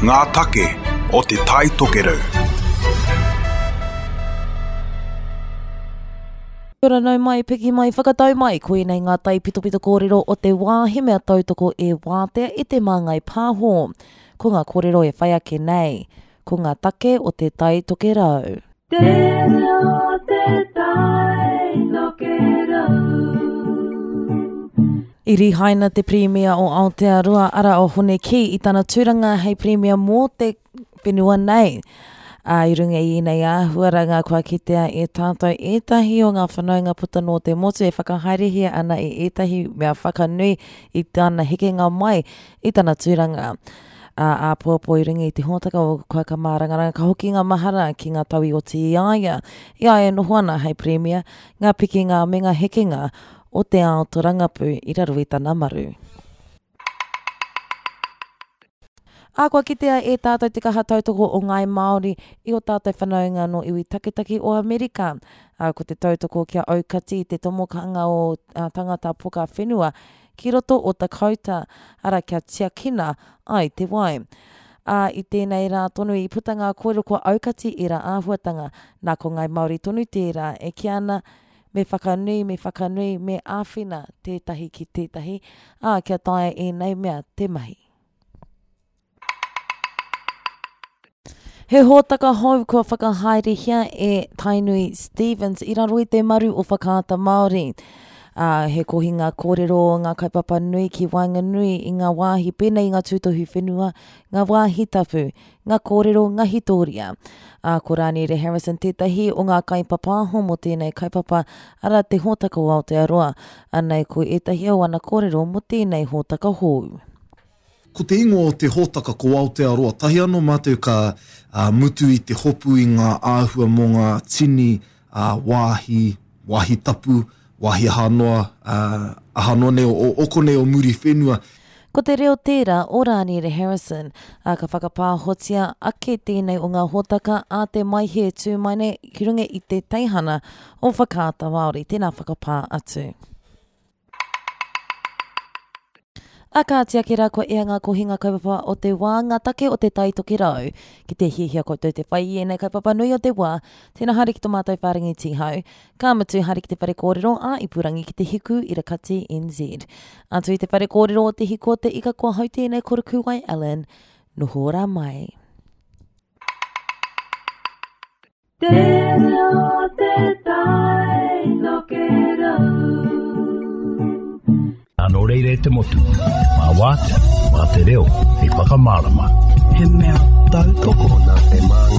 Ngā take o Te Tai Tokerau. Kia ora nau mai, piki mai, whakatau mai, koinei ngā taipitopito kōrero o te wā he mea tautoko e Wātea i Te Māngai Pāho. Ko ngā kōrero e whai ake nei, ko ngā take o Te Tai Tokerau. Te reo te tai tokerau. I rihaina te Pirimia o Aotearoa ara o Hone Kī i tana tūranga hei Pirimia mō te whenua nei. Ā, i runga i ēnei āhuaranga kua kitea e tātou ētahi o ngā whanaunga puta nō te motu e whakahaerehia ana i ētahi mea whakanui i tana hekenga mai i tana tūranga. Ā, āpōpō i runga i te hōtaka o Kua Ka Mārangaranga ka hoki ngā mahara ki ngā tau i oti i a ia, i a ia e noho ana hei Pirimia, ngā pikinga me ngā hekenga o te ao tōrangapū i raro i tana maru. Ā, kua kitea e tātou te kaha tautoko o Ngāi Māori i ō tātou whanaunga nō iwi taketake o Amerika. Ā, ko te tautoko kia aukati i te tomokanga o tangata poka whenua ki roto o Dakota, ara kia tiakina ai te wai. Ā, i tēnei rā tonu i puta ngā kōrero kua aukati ērā āhuatanga, nā ko Ngāi Māori tonu tērā e kī ana, me whakanui, me whakanui, me āwhina tētahi ki tētahi, ā, kia taea ēnei mea te mahi. He hōtaka hou kua whakahaerehia e Tainui Stephens i raro i te maru o Whakaata Māori. Ā, he kohinga kōrero o ngā kaupapa nui ki waenganui i ngā wāhi pēnei i ngā tūtohu whenua, ngā wāhi tapu, ngā kōrero, ngā hitōria. Ā, ko Rāniere Harrison tētahi o ngā kaipapāho mō tēnei kaupapa, arā, te hōtaka o Aotearoa. Anei ko ētahi o ana kōrero mō tēnei hōtaka hou. Ko te ingoa o te hōtaka ko Aotearoa. Tahi anō mātou ka mutu i te hopu i ngā āhua mō ngā tini wāhi, wāhi tapu, wāhi aha noa, aha noa nei o konei o Muriwhenua. Ko te reo tērā o Rāniere Harrison, ā, ka whakapāhotia ake tēnei o ngā hōtaka a te Maihe tū mai nei ki runga i te teihana o Whakaata Māori. Tēnā whakapā atu. A kāti ake rā kua ea ngā kohinga kaupapa o te wā, ngā take o te Tai Tokerau. Ki te hiahia koutou te whai i ēnei kaupapa nui o te wā, tēnā haere ki tō mātou whārangi tīhau. Ka mutu, haere ki te whare kōrero ā ipurangi ki te Hiku Irakati NZ. Atu i te whare kōrero o Te Hiku o te Ika kua hau tēnei ko Rukuwai Allen. Noho ora mai. Te reo te tai tokerau. Nā nō reira e te motu, mā Wātea, mā te reo hei whakamārama. He mea tautoko. Nā te māngai.